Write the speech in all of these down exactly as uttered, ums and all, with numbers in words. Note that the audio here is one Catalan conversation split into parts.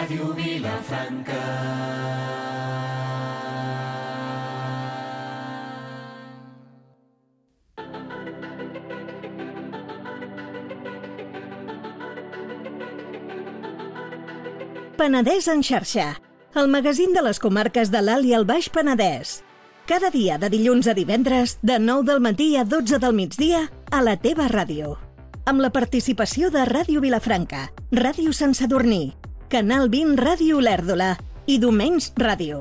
Ràdio Vilafranca. Penedès en xarxa, el magazín de les comarques de l'Alt i el Baix Penedès. Cada dia de dilluns a divendres, de nou del matí a dotze del migdia, a la teva ràdio. Amb la participació de Ràdio Vilafranca, Ràdio Sant Sadurní, Canal vint Ràdio Olèrdola i Domenys Ràdio.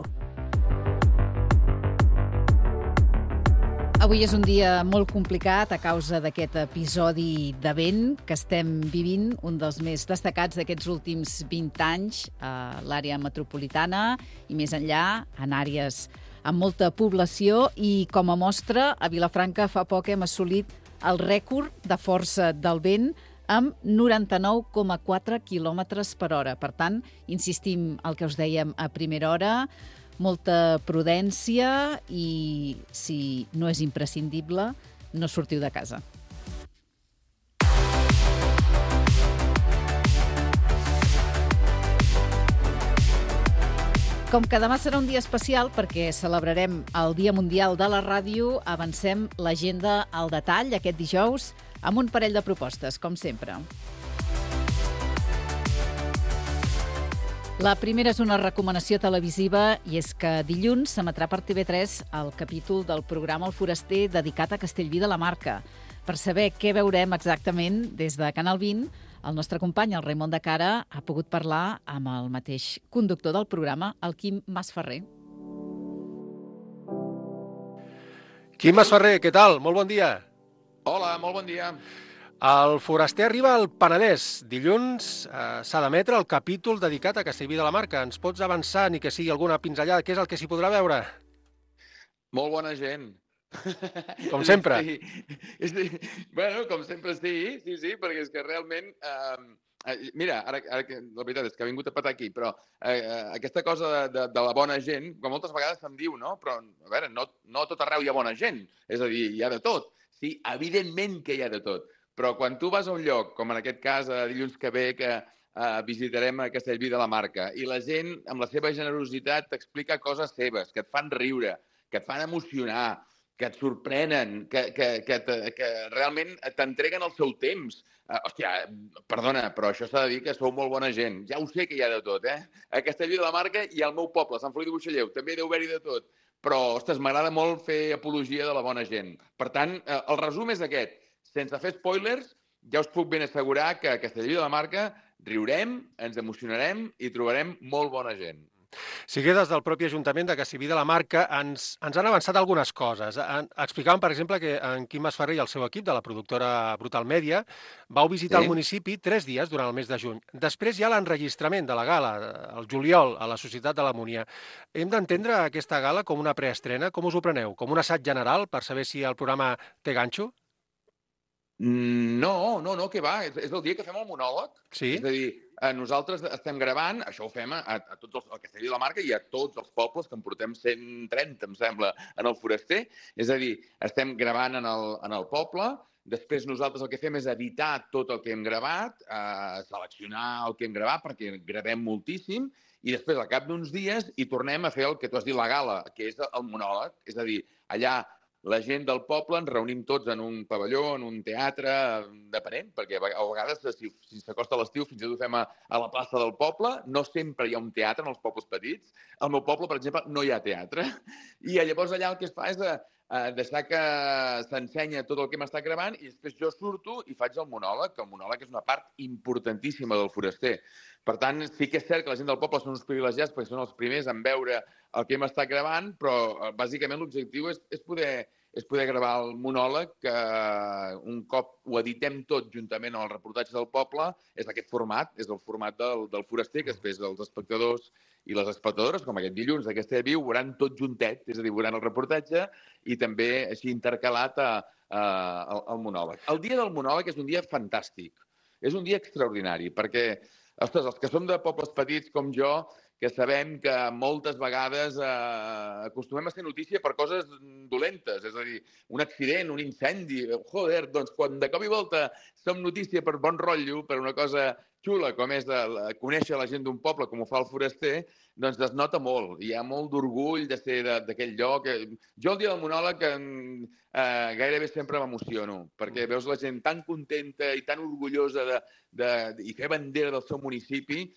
Avui és un dia molt complicat a causa d'aquest episodi de vent que estem vivint, un dels més destacats d'aquests últims vint anys a l'àrea metropolitana i més enllà, en àrees amb molta població, i com a mostra, a Vilafranca fa poc hem assolit el rècord de força del vent amb noranta-nou coma quatre quilòmetres per hora. Per tant, insistim el que us dèiem a primera hora, molta prudència i, si no és imprescindible, no sortiu de casa. Com que demà serà un dia especial perquè celebrarem el Dia Mundial de la Ràdio, avancem l'agenda al detall aquest dijous amb un parell de propostes, com sempre. La primera és una recomanació televisiva i és que dilluns s'emetrà per T V tres el capítol del programa El Foraster dedicat a Castellví de la Marca. Per saber què veurem exactament des de Canal vint, el nostre company, el Raimon de Cara, ha pogut parlar amb el mateix conductor del programa, el Quim Masferrer. Quim Masferrer, què tal? Molt bon dia. Hola, molt bon dia. El Foraster arriba al Penedès. Dilluns eh, s'ha d'emetre el capítol dedicat a Castellví de la Marca. Ens pots avançar, ni que sigui alguna pinzellada? Què és el que s'hi podrà veure? Molt bona gent. Com sempre. Sí, sí. Bueno, com sempre sí, sí, sí, perquè és que realment... Eh, mira, ara, ara que, la veritat és que ha vingut a patar aquí, però eh, aquesta cosa de, de, de la bona gent, que moltes vegades se'm diu, no? Però, a veure, no, no a tot arreu hi ha bona gent. És a dir, hi ha de tot. Sí, evidentment que hi ha de tot. Però quan tu vas a un lloc, com en aquest cas a dilluns que ve, que uh, visitarem a Castellví de la Marca, i la gent, amb la seva generositat, t'explica coses seves, que et fan riure, que et fan emocionar, que et sorprenen, que, que, que, que realment t'entreguen el seu temps. Uh, hòstia, perdona, però això s'ha de dir que sou molt bona gent. Ja ho sé que hi ha de tot, eh? A Castellví de la Marca i al meu poble, Sant Feliu de Buixalleu, també deu haver-hi de tot. Però, ostres, m'agrada molt fer apologia de la bona gent. Per tant, uh, el resum és aquest. Sense fer spoilers, ja us puc ben assegurar que a Castellví de la Marca riurem, ens emocionarem i trobarem molt bona gent. Sí que des del propi Ajuntament de Castellví de la Marca ens, ens han avançat algunes coses. En, explicaven, per exemple, que en Quim Masferrer i el seu equip de la productora Brutal Media vau visitar sí. el municipi tres dies durant el mes de juny. Després hi ha l'enregistrament de la gala, el juliol, a la Societat de l'Harmonia. Hem d'entendre aquesta gala com una preestrena? Com us ho preneu? Com un assaig general per saber si el programa té ganxo? No, no, no, què va? És, és el dia que fem el monòleg. Sí? És a dir, nosaltres estem gravant, això ho fem a, a tots els, al Castellví de la Marca i a tots els pobles, que en portem cent trenta, em sembla, en el Foraster. És a dir, estem gravant en el, en el poble, després nosaltres el que fem és editar tot el que hem gravat, eh, seleccionar el que hem gravat, perquè gravem moltíssim, i després, al cap d'uns dies, hi tornem a fer el que tu has dit, la gala, que és el monòleg. És a dir, allà la gent del poble ens reunim tots en un pavelló, en un teatre, depenent, perquè a vegades, si, si s'acosta l'estiu, fins i tot ho fem a, a la plaça del poble. No sempre hi ha un teatre en els pobles petits. Al meu poble, per exemple, no hi ha teatre. I llavors allà el que es fa és a, a deixar que s'ensenya tot el que hem estat gravant i després jo surto i faig el monòleg, que el monòleg és una part importantíssima del Foraster. Per tant, sí que és cert que la gent del poble són uns privilegiats perquè són els primers en veure el que hem estat gravant, però bàsicament l'objectiu és, és, poder, és poder gravar el monòleg, que un cop ho editem tot juntament amb els reportatges del poble, és aquest format, és el format del, del Foraster, que després els espectadors i les espectadores, com aquest dilluns d'aquesta viu, veuran tot juntet, és a dir, veuran el reportatge i també així intercalat a, a, al, al monòleg. El dia del monòleg és un dia fantàstic, és un dia extraordinari, perquè ostres, els que som de pobles petits com jo, que sabem que moltes vegades eh, acostumem a ser notícia per coses dolentes, és a dir, un accident, un incendi, joder, doncs quan de cop i volta som notícia per bon rotllo, per una cosa xula, com és de, de conèixer la gent d'un poble, com ho fa el Foraster, doncs es nota molt. Hi ha molt d'orgull de ser d'aquell lloc. Jo el dia del monòleg eh, gairebé sempre m'emociono, perquè veus la gent tan contenta i tan orgullosa de, de, i fer bandera del seu municipi,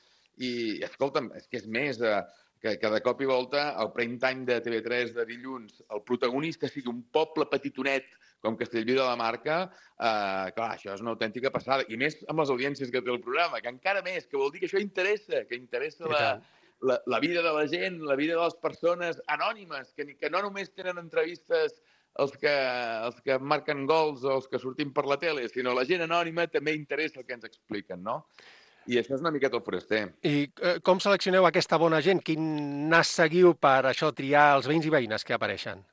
i, escolta'm, és que és més... Eh, que, que de cop i volta, al prime time de T V tres de dilluns, el protagonista sigui un poble petitonet com Castellví de la Marca, eh, clar, això és una autèntica passada. I més amb les audiències que té el programa, que encara més, que vol dir que això interessa, que interessa la, la, la vida de la gent, la vida de les persones anònimes, que, que no només tenen entrevistes els que, els que marquen gols o els que sortim per la tele, sinó la gent anònima també interessa el que ens expliquen, no? I això és una miqueta el Foraster. I eh, com seleccioneu aquesta bona gent? Quin nas seguiu per això triar els veïns i veïnes que apareixen?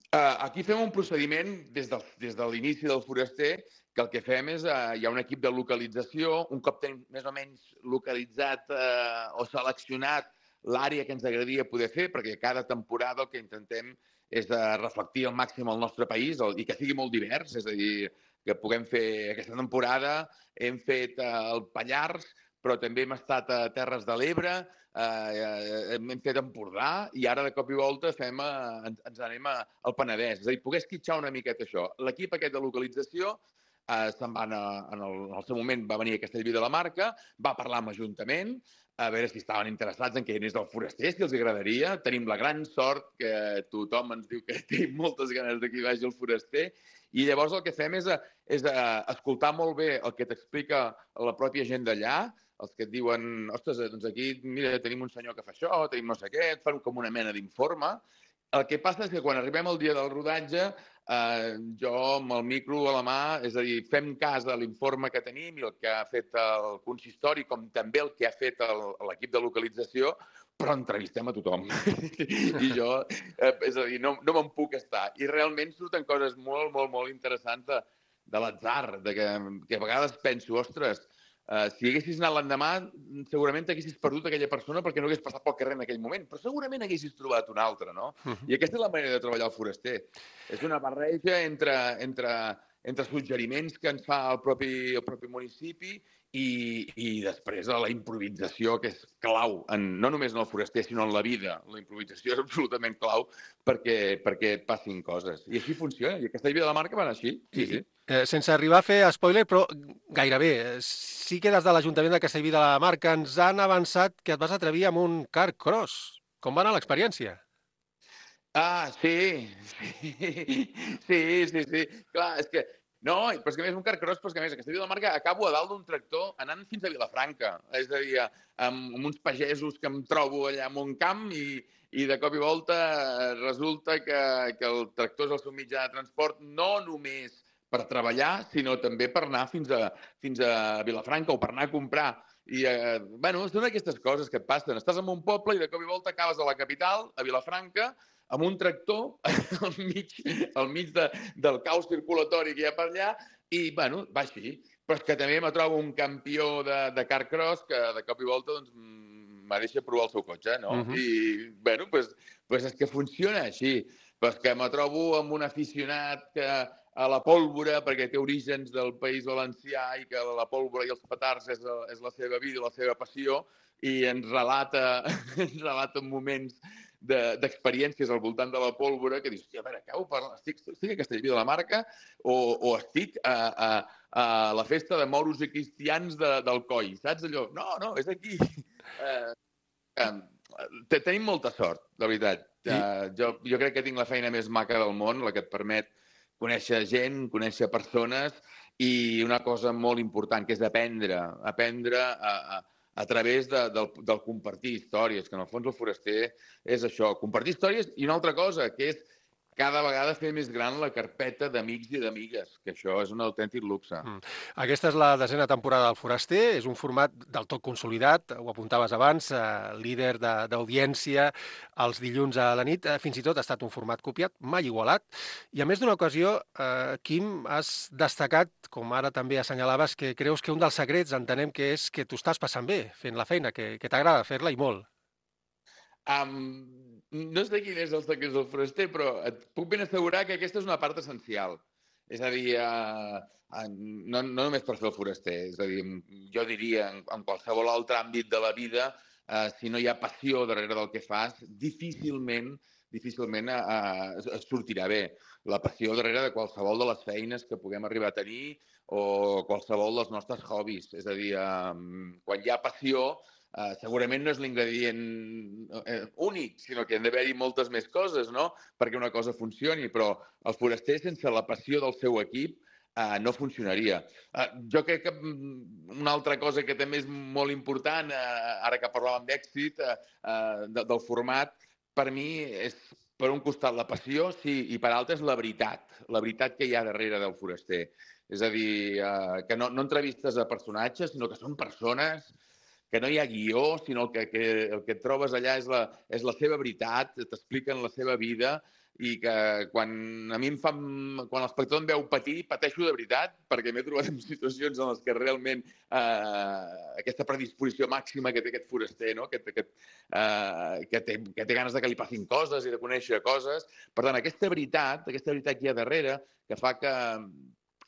Uh, aquí fem un procediment des, del, des de l'inici del Foraster, que el que fem és, uh, hi ha un equip de localització, un cop tenim més o menys localitzat uh, o seleccionat l'àrea que ens agradaria poder fer, perquè cada temporada el que intentem és de reflectir al màxim el nostre país el, i que sigui molt divers, és a dir, que puguem fer aquesta temporada, hem fet eh, el Pallars, però també hem estat a Terres de l'Ebre, eh, hem fet Empordà i ara de cop i volta fem, eh, ens, ens anem a, al Penedès. És a dir, poder esquitxar una miqueta això. L'equip aquest de localització eh, se'n va anar, en, el, en el seu moment va venir a Castellví de la Marca, va parlar amb Ajuntament, a veure si estaven interessats en que hi anés el Foraster, si els agradaria. Tenim la gran sort que tothom ens diu que té moltes ganes de que hi vagi el Foraster. I llavors el que fem és, és escoltar molt bé el que t'explica la pròpia gent d'allà, els que et diuen, ostres, doncs aquí mira, tenim un senyor que fa això, tenim no sé què, et fan com una mena d'informe. El que passa és que quan arribem al dia del rodatge, eh, jo amb el micro a la mà, és a dir, fem cas de l'informe que tenim i el que ha fet el consistori, com també el que ha fet l'equip de localització, però entrevistem a tothom. I jo, eh, és a dir, no, no me'n puc estar. I realment surten coses molt, molt, molt interessants de, de l'atzar, de que, que a vegades penso, ostres, Uh, si haguessis anat l'endemà, segurament t'haguessis perdut aquella persona perquè no hagués passat pel carrer en aquell moment, però segurament haguessis trobat una altra, no? Uh-huh. I aquesta és la manera de treballar el Foraster. És una barreja entre, entre, entre suggeriments que ens fa el propi, el propi municipi i, i després la improvisació, que és clau, en, no només en el Foraster, sinó en la vida. La improvisació és absolutament clau perquè, perquè passin coses. I així funciona. I aquesta vida de la marca va anar així. Sí, sí. Eh, sense arribar a fer spoiler, però gairebé, sí que des de l'Ajuntament de Castellví de la Marca ens han avançat que et vas atrevir amb un car cross. Com va anar l'experiència? Ah, sí. Sí, sí, sí. sí. Clar, és que... No, però és que a més un car cross, però és que a més a Castellví de la Marca acabo a dalt d'un tractor anant fins a Vilafranca. És a dir, amb, amb uns pagesos que em trobo allà en un camp i, i de cop i volta resulta que, que el tractor és el seu mitjà de transport no només per treballar, sinó també per anar fins a, fins a Vilafranca o per anar a comprar. I, eh, bueno, són aquestes coses que et passen. Estàs en un poble i de cop i volta acabes a la capital, a Vilafranca, amb un tractor al mig, al mig de, del caos circulatori que hi ha per allà i, bueno, va així. Però és que també me trobo un campió de, de car cross que de cop i volta doncs, me deixa provar el seu cotxe, no? Uh-huh. I, bueno, pues, pues és que funciona així. Però és que me trobo amb un aficionat que a la pólvora, perquè té orígens del País Valencià i que la pólvora i els petards és, és la seva vida, la seva passió, i ens relata, ens relata moments d'experiències de, al voltant de la pólvora que dius, hòstia, a veure, acabo parlant, estic, estic a Castellví de la Marca o, o estic a, a, a la festa de moros i cristians de, del Coi, saps allò? No, no, és aquí. Eh, eh, tenim molta sort, de veritat. Eh, jo, jo crec que tinc la feina més maca del món, la que et permet conèixer gent, conèixer persones i una cosa molt important, que és aprendre, aprendre a, a, a través de, del, del compartir històries, que en el fons el Foraster és això, compartir històries i una altra cosa, que és cada vegada fer més gran la carpeta d'amics i d'amigues, que això és un autèntic luxe. Mm. Aquesta és la desena temporada del Foraster, és un format del tot consolidat, ho apuntaves abans, eh, líder d'audiència els dilluns a la nit, eh, fins i tot ha estat un format copiat, mai igualat, i a més d'una ocasió, eh, Quim, has destacat, com ara també assenyalaves, que creus que un dels secrets entenem que és que tu estàs passant bé fent la feina, que, que t'agrada fer-la i molt. Um, no sé quin és el secret del foraster, però et puc ben assegurar que aquesta és una part essencial. És a dir, uh, uh, no, no només per fer el foraster, és a dir, jo diria en, en qualsevol altre àmbit de la vida, uh, si no hi ha passió darrere del que fas, difícilment, difícilment uh, es, es sortirà bé. La passió darrere de qualsevol de les feines que puguem arribar a tenir o qualsevol dels nostres hobbies. És a dir, uh, quan hi ha passió, Uh, segurament no és l'ingredient uh, únic, sinó que han d'haver-hi moltes més coses, no?, perquè una cosa funcioni, però el foraster sense la passió del seu equip uh, no funcionaria. Uh, jo crec que una altra cosa que també és molt important, uh, ara que parlàvem d'èxit, uh, uh, de, del format, per mi és, per un costat, la passió, sí, i per altre és la veritat, la veritat que hi ha darrere del foraster. És a dir, uh, que no, no entrevistes a personatges, sinó que són persones, que no hi ha guió, sinó que, que el que et trobes allà és la, és la seva veritat, t'expliquen la seva vida i que quan a mi em fa, quan l'espectador em veu patir, pateixo de veritat, perquè m'he trobat en situacions en les que realment eh, aquesta predisposició màxima que té aquest foraster, no?, que, que, eh, que, té, que té ganes de que li passin coses i de conèixer coses. Per tant, aquesta veritat, aquesta veritat que hi ha darrere, que fa que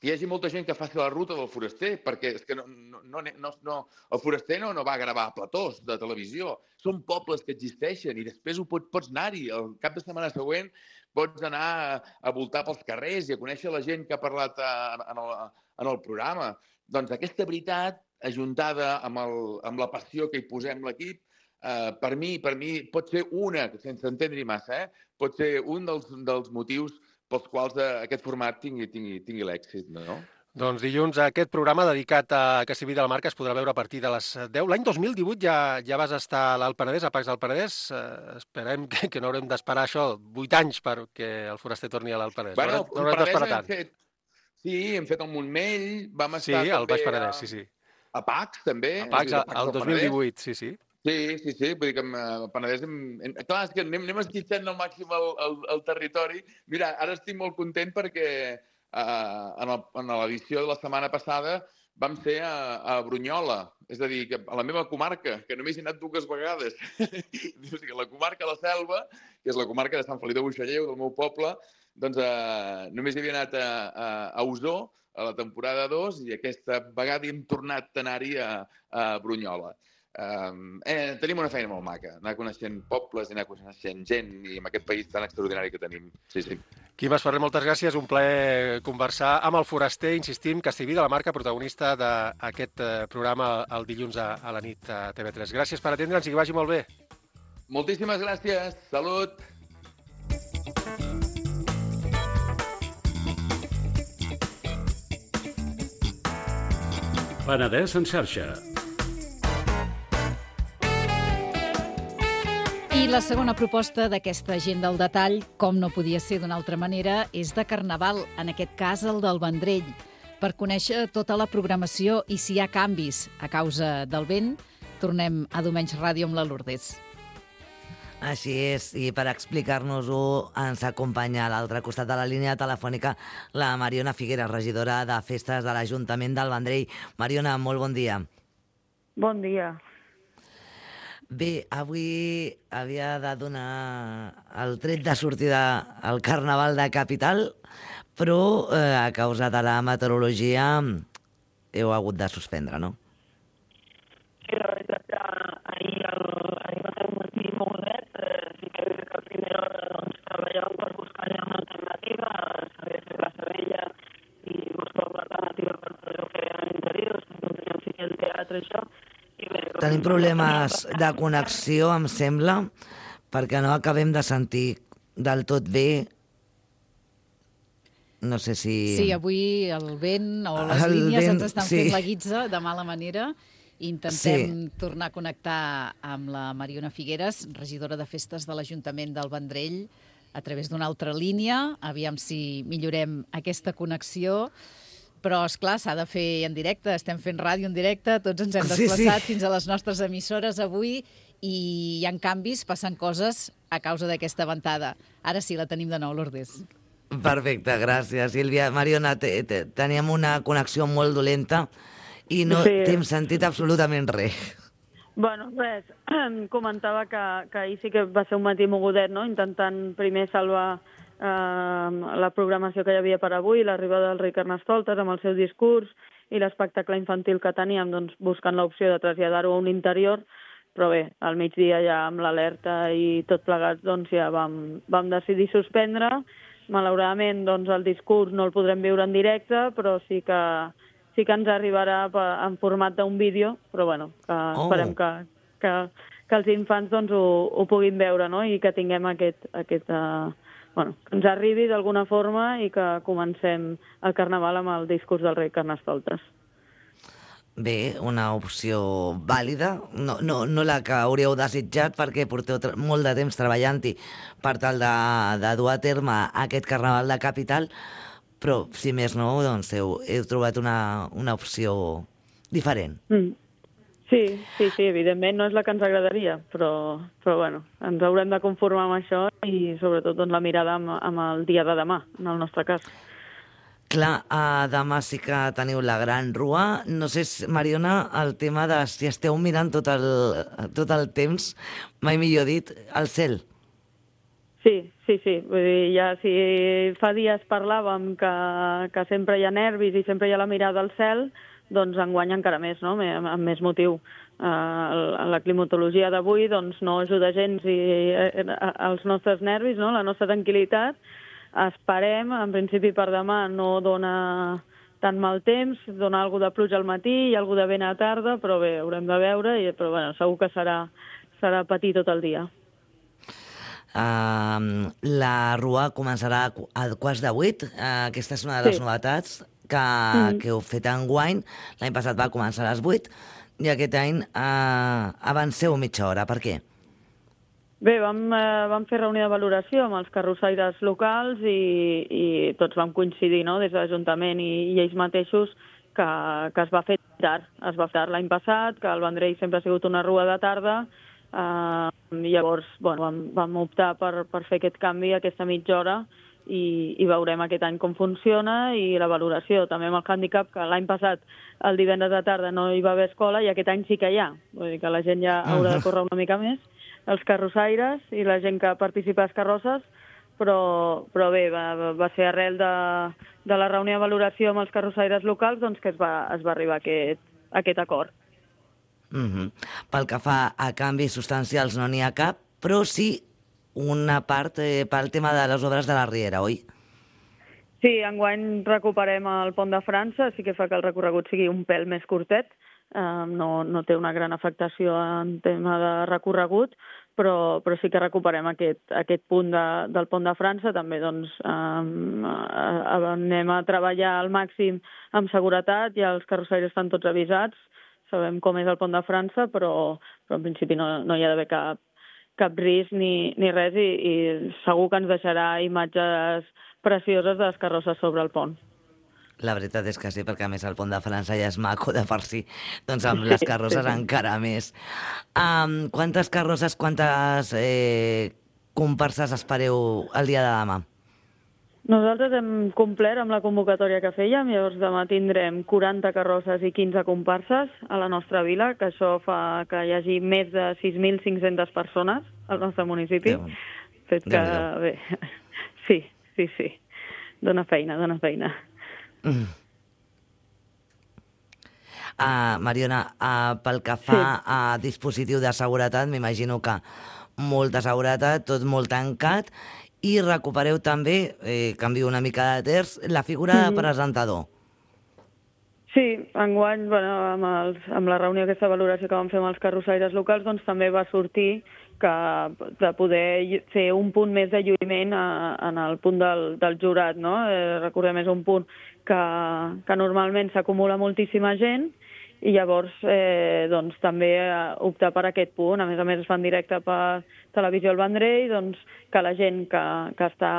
hi hagi molta gent que faci la ruta del foraster, perquè és que no, no, no, no, el foraster no, no va gravar platós de televisió. Són pobles que existeixen i després ho pots, pots anar-hi. El cap de setmana següent pots anar a, a voltar pels carrers i a conèixer la gent que ha parlat a, en, el, en el programa. Doncs aquesta veritat, ajuntada amb, el, amb la passió que hi posem l'equip, eh, per mi, per mi pot ser una, sense entendre-hi massa, eh, pot ser un dels, dels motius pels quals aquest format tingui, tingui, tingui l'èxit, no? Doncs dilluns aquest programa dedicat a Castellví de la Marca es podrà veure a partir de les deu. L'any dos mil divuit ja, ja vas estar a l'Alt Penedès, a Pacs del Penedès. Uh, esperem que, que no haurem d'esperar això, vuit anys perquè el foraster torni a l'Alt Penedès. Bueno, no haurem d'esperar tant. Fet, sí, hem fet el Montmell, vam sí, estar també... Sí, al Baix Penedès, a, sí, sí. A Pacs, també. A Pacs, al dos mil divuit, sí, sí. Sí, sí, sí, vull dir que el Penedès... Hem, hem, clar, és que anem, anem esquitxant al màxim el, el, el territori. Mira, ara estic molt content perquè uh, en, el, en l'edició de la setmana passada vam ser a, a Brunyola, és a dir, que a la meva comarca, que només he anat dues vegades. La comarca de la Selva, que és la comarca de Sant Feliu de Buixalleu, del meu poble, doncs uh, només hi havia anat a, a, a Osor a la temporada dos i aquesta vegada hem tornat a anar-hi a, a Brunyola. Um, eh, tenim una feina molt maca, anar coneixent pobles i anar coneixent gent i amb aquest país tan extraordinari que tenim. Sí, sí. Quim Esferrer, moltes gràcies, un plaer conversar amb el foraster, insistim, Castellví de la Marca, protagonista d'aquest programa el dilluns a, a la nit a T V tres. Gràcies per atendre'ns i que vagi molt bé. Moltíssimes gràcies, salut! Penedès en xarxa. I la segona proposta d'aquesta agenda al detall, com no podia ser d'una altra manera, és de Carnaval, en aquest cas el del Vendrell. Per conèixer tota la programació i si hi ha canvis a causa del vent, tornem a Diumenge Ràdio amb la Lourdes. Així és, i per explicar-nos-ho ens acompanya a l'altre costat de la línia telefònica la Mariona Figueras, regidora de Festes de l'Ajuntament del Vendrell. Mariona, molt bon dia. Bon dia. Bé, avui havia de donar el tret de sortida al Carnaval de Capital, però eh, a causa de la meteorologia heu hagut de suspendre, no? Sí, la veritat que ahir, el, ahir va ser un matí molt net, eh, sí que a primera hora doncs, treballàvem per buscar ja una alternativa, s'havia fet la Sabella i buscar una alternativa per allò que eren interiors, no teníem ficar el teatre, això. Tenim problemes de connexió, em sembla, perquè no acabem de sentir del tot bé. No sé si... Sí, avui el vent o les el línies vent, ens estan sí. fent la guitza de mala manera. Intentem Sí. tornar a connectar amb la Mariona Figueras, regidora de Festes de l'Ajuntament del Vendrell, a través d'una altra línia. Aviam si millorem aquesta connexió. Però, esclar, s'ha de fer en directe, estem fent ràdio en directe, tots ens hem desplaçat sí, sí. fins a les nostres emissores avui i hi ha canvis, passen coses a causa d'aquesta ventada. Ara sí, la tenim de nou, Lourdes. Perfecte, gràcies, Sílvia. Mariona, te, te, teníem una connexió molt dolenta i no Sí. t'hem sentit absolutament res. Bueno, res, comentava que, que ahir sí que va ser un matí mogudet, no? Intentant primer salvar eh, la programació que hi havia per avui, l'arribada del rei Carnestoltes amb el seu discurs i l'espectacle infantil que teníem, doncs, buscant l'opció de traslladar-ho a un interior, però bé, al migdia ja amb l'alerta i tot plegat, doncs ja vam, vam decidir suspendre. Malauradament, doncs, el discurs no el podrem viure en directe, però sí que, sí que ens arribarà en format d'un vídeo, però bueno, que oh. esperem que, que, que els infants doncs, ho, ho puguin veure, no? I que tinguem aquest... aquest uh, bueno, que ens arribi d'alguna forma i que comencem el Carnaval amb el discurs del rei Carnestoltes. Bé, una opció vàlida, no, no, no la que hauríeu desitjat perquè porteu molt de temps treballant-hi per tal de, de dur a terme aquest Carnaval de Capital, però si més no, doncs heu, heu trobat una, una opció diferent. Mm. Sí, sí, sí, evidentment no és la que ens agradaria, però, però bueno, ens haurem de conformar amb això i sobretot doncs, la mirada amb, amb el dia de demà, en el nostre cas. Clar, uh, demà sí que teniu la gran rua. No sé, Mariona, el tema de si esteu mirant tot el, tot el temps, mai millor dit, al cel. Sí, sí, sí. Vull dir, ja si fa dies parlàvem que, que sempre hi ha nervis i sempre hi ha la mirada al cel, doncs enguany encara més, no? Amb més motiu. Uh, la climatologia d'avui doncs, no ajuda gens i, uh, als nostres nervis, no? La nostra tranquil·litat. Esperem, en principi per demà no dona tant mal temps, dona alguna de pluja al matí i alguna de vent a tarda, però bé, haurem de veure, i, però bueno, segur que serà, serà patir tot el dia. Uh, la rua començarà a quarts de vuit. Uh, aquesta és una de les sí. novetats que, mm. que heu fet enguany. L'any passat va començar a les vuit i aquest any uh, avanceu mitja hora. Per què? Bé, vam, eh, vam fer reunió de valoració amb els carrossaires locals i, i tots vam coincidir, no?, des de l'Ajuntament i, i ells mateixos que, que es va fer tard. Es va fer tard l'any passat, que el Vendrell sempre ha sigut una rua de tarda, eh, i llavors bueno, vam, vam optar per, per fer aquest canvi, aquesta mitja hora, i, i veurem aquest any com funciona i la valoració. També amb el hàndicap que l'any passat el divendres de tarda no hi va haver escola i aquest any sí que hi ha. Vull dir que la gent ja haurà de córrer una mica més, els carrossaires i la gent que participa a les carrosses, però, però bé, va, va ser arrel de, de la reunió de valoració amb els carrossaires locals doncs, que es va, es va arribar a aquest, a aquest acord. Mm-hmm. Pel que fa a canvis substancials no n'hi ha cap, però sí una part eh, pel tema de les obres de la Riera, oi? Sí, enguany recuperem el Pont de França, sí que fa que el recorregut sigui un pèl més curtet, eh, no, no té una gran afectació en tema de recorregut, però, però sí que recuperem aquest, aquest punt de, del Pont de França. També doncs, eh, anem a treballar al màxim amb seguretat, ja els carrossaires estan tots avisats, sabem com és el Pont de França, però, però en principi no, no hi ha d'haver cap, cap risc ni, ni res i, i segur que ens deixarà imatges precioses de les carrosses sobre el pont. La veritat és que sí, perquè a més el Pont de França ja és maco de per si, doncs amb les carrosses sí, sí. encara més. Um, quantes carrosses, quantes eh, comparses espereu el dia de demà? Nosaltres hem complert amb la convocatòria que fèiem, llavors demà tindrem quaranta carrosses i quinze comparses a la nostra vila, que això fa que hi hagi més de sis mil cinc-centes persones al nostre municipi. Déu. Fet que, bé, sí, sí, sí, dona feina, dona feina. Mm. Uh, Mariona, uh, pel que fa sí. a dispositiu de seguretat, m'imagino que molta seguretat, tot molt tancat, i recupereu també, eh, canvio una mica de terç, la figura mm-hmm. de presentador. Sí, enguany, bueno, amb, els, amb la reunió aquesta valoració que vam fer amb els carrossaires locals, doncs també va sortir que de poder fer un punt més de lluïment a, en el punt del, del jurat, no? Eh, recordem, és un punt que, que normalment s'acumula moltíssima gent i llavors eh, doncs, també optar per aquest punt. A més a més es fa en directe per Televisió El Vendrell, doncs, que la gent que, que està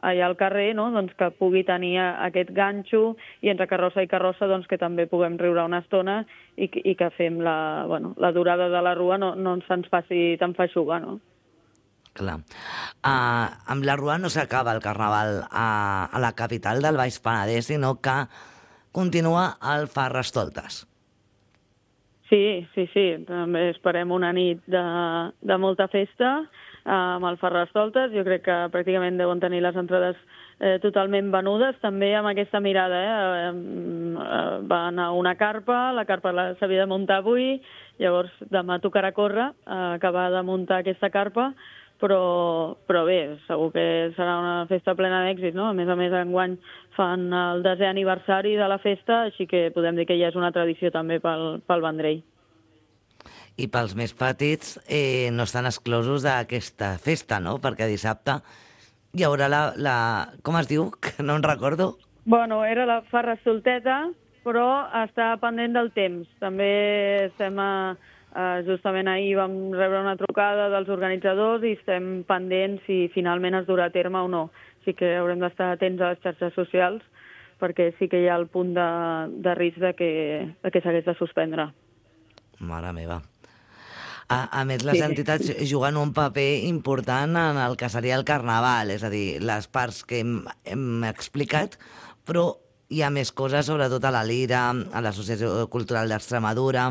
allà al carrer doncs, que pugui tenir aquest ganxo i entre carrossa i carrossa doncs, que també puguem riure una estona i, i que fem la, bueno, la durada de la rua no, no se'ns faci tan feixuga, no? Clar. Uh, amb la rua no s'acaba el Carnaval a, a la capital del Baix Penedès, sinó que continua al Carnestoltes. Sí, sí, sí. També esperem una nit de, de molta festa amb el Ferrastoltes. Jo crec que pràcticament deuen tenir les entrades eh, totalment venudes, també amb aquesta mirada. Eh? Eh, va anar una carpa, la carpa s'havia de muntar avui, llavors demà tocarà córrer, eh, acabar de muntar aquesta carpa, però, però bé, segur que serà una festa plena d'èxit, no? A més a més, enguany fan el desè aniversari de la festa, així que podem dir que ja és una tradició també pel, pel Vendrell. I pels més petits eh, no estan exclosos d'aquesta festa, no? Perquè dissabte hi haurà la, la... Com es diu? Que no en recordo. Bueno, era la Ferrastolteta, però està pendent del temps. També estem a... Uh, justament ahir vam rebre una trucada dels organitzadors i estem pendents si finalment es durà a terme o no. Així que haurem d'estar atents a les xarxes socials perquè sí que hi ha el punt de, de risc de que, de que s'hagués de suspendre. Mare meva. A, a més, les sí. entitats juguen un paper important en el que seria el carnaval, és a dir, les parts que hem, hem explicat, però hi ha més coses, sobretot a la Lira, a l'Associació Cultural d'Extremadura,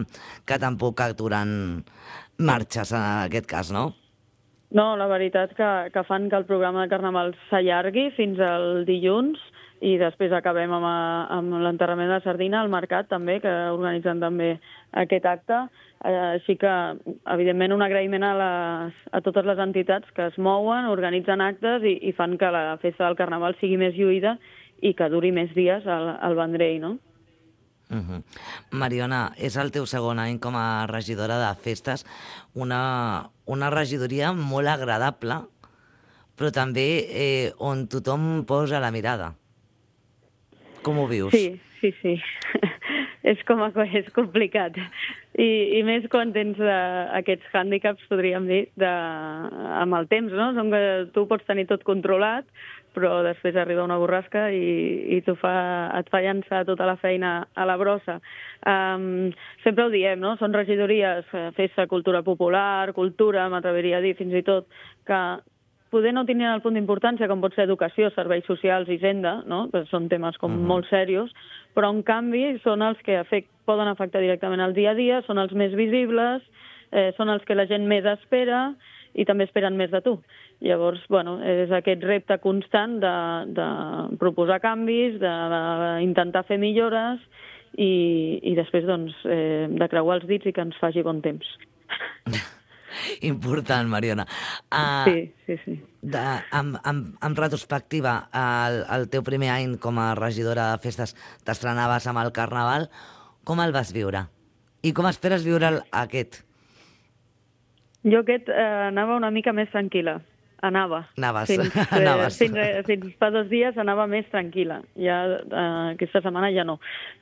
que tampoc aturen marxes en aquest cas, no? No, la veritat que, que fan que el programa de Carnaval s'allargui fins al dilluns i després acabem amb, a, amb l'enterrament de la sardina al mercat també, que organitzen també aquest acte. Eh, així que, evidentment, un agraïment a, les, a totes les entitats que es mouen, organitzen actes i, i fan que la festa del Carnaval sigui més lluïda i que duri més dies al, al Vendrell, no? Uh-huh. Mariona, és el teu segon any com a regidora de festes, una, una regidoria molt agradable, però també eh, on tothom posa la mirada. Com ho vius? Sí, sí, sí. és, com a, és complicat. I, I més quan tens uh, aquests hàndicaps, podríem dir, de, amb el temps, no? Som que tu pots tenir tot controlat, però després arriba una borrasca i, i tu fa, et fa llançar tota la feina a la brossa. Um, sempre ho diem, no? Són regidories, festa, cultura popular, cultura, m'atreviria a dir fins i tot, que poder no tindrien el punt d'importància com pot ser educació, serveis socials i hisenda, no? Que són temes com uh-huh. molt serios, però en canvi són els que afect, poden afectar directament el dia a dia, són els més visibles, eh, són els que la gent més espera i també esperen més de tu. Llavors, bueno, és aquest repte constant de, de proposar canvis, d'intentar fer millores i, i després doncs, eh, de creuar els dits i que ens faci bon temps. Important, Mariona. Uh, sí, sí, sí. De, amb, amb, amb retrospectiva, el, el teu primer any com a regidora de festes t'estrenaves amb el Carnaval. Com el vas viure? I com esperes viure aquest? Jo aquest eh, anava una mica més tranquil·la. Anava. Anaves. Fins, eh, Anaves. Fins, eh, fins fa dos dies anava més tranquil·la. Ja, eh, aquesta setmana ja no.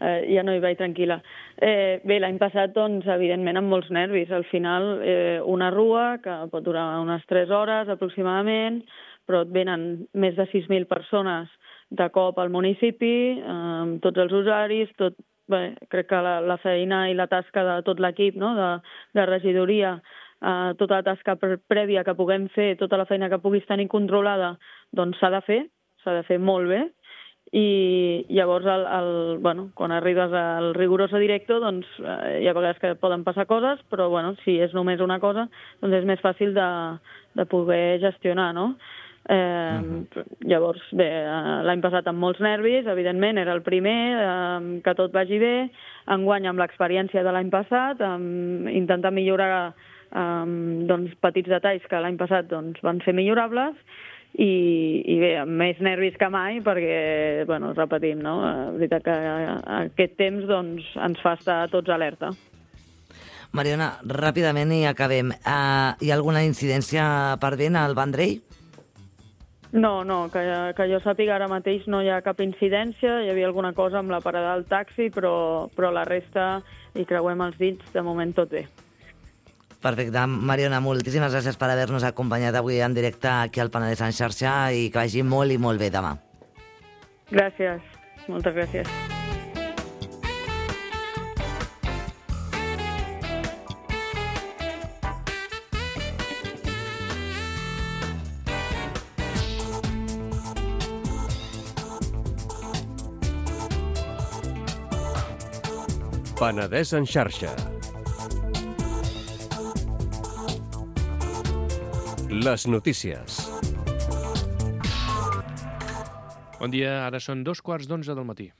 Eh, ja no hi vaig tranquil·la. Eh, bé, l'any passat, doncs, evidentment, amb molts nervis. Al final, eh, una rua que pot durar unes tres hores aproximadament, però et venen més de sis mil persones de cop al municipi, eh, amb tots els usuaris, tot, bé, crec que la, la feina i la tasca de tot l'equip, no?, de, de regidoria, Uh, tota la tasca prèvia que puguem fer, tota la feina que puguis tenir controlada, doncs s'ha de fer, s'ha de fer molt bé, i llavors el, el, bueno, quan arribes al rigoroso directo, doncs uh, hi ha vegades que poden passar coses, però bueno, si és només una cosa, doncs és més fàcil de, de poder gestionar, no? Eh, uh-huh. Llavors, bé, l'any passat amb molts nervis, evidentment, era el primer, eh, que tot vagi bé, enguany amb l'experiència de l'any passat, amb intentar millorar Um, doncs, petits detalls que l'any passat doncs, van ser millorables i, i bé, amb més nervis que mai perquè, bueno, repetim, no? La veritat que aquest temps doncs, ens fa estar tots alerta. Mariona, ràpidament i acabem. Uh, hi ha alguna incidència per vent al Vendrell? No, no, que, que jo sàpiga ara mateix no hi ha cap incidència, hi havia alguna cosa amb la parada del taxi, però, però la resta hi creuem els dits, de moment tot bé. Perfecte. Mariona, moltíssimes gràcies per haver-nos acompanyat avui en directe aquí al Penedès en xarxa i que vagi molt i molt bé demà. Gràcies. Moltes gràcies. Penedès en xarxa. Les notícies. Bon dia, ara són dos quarts d'onze del matí.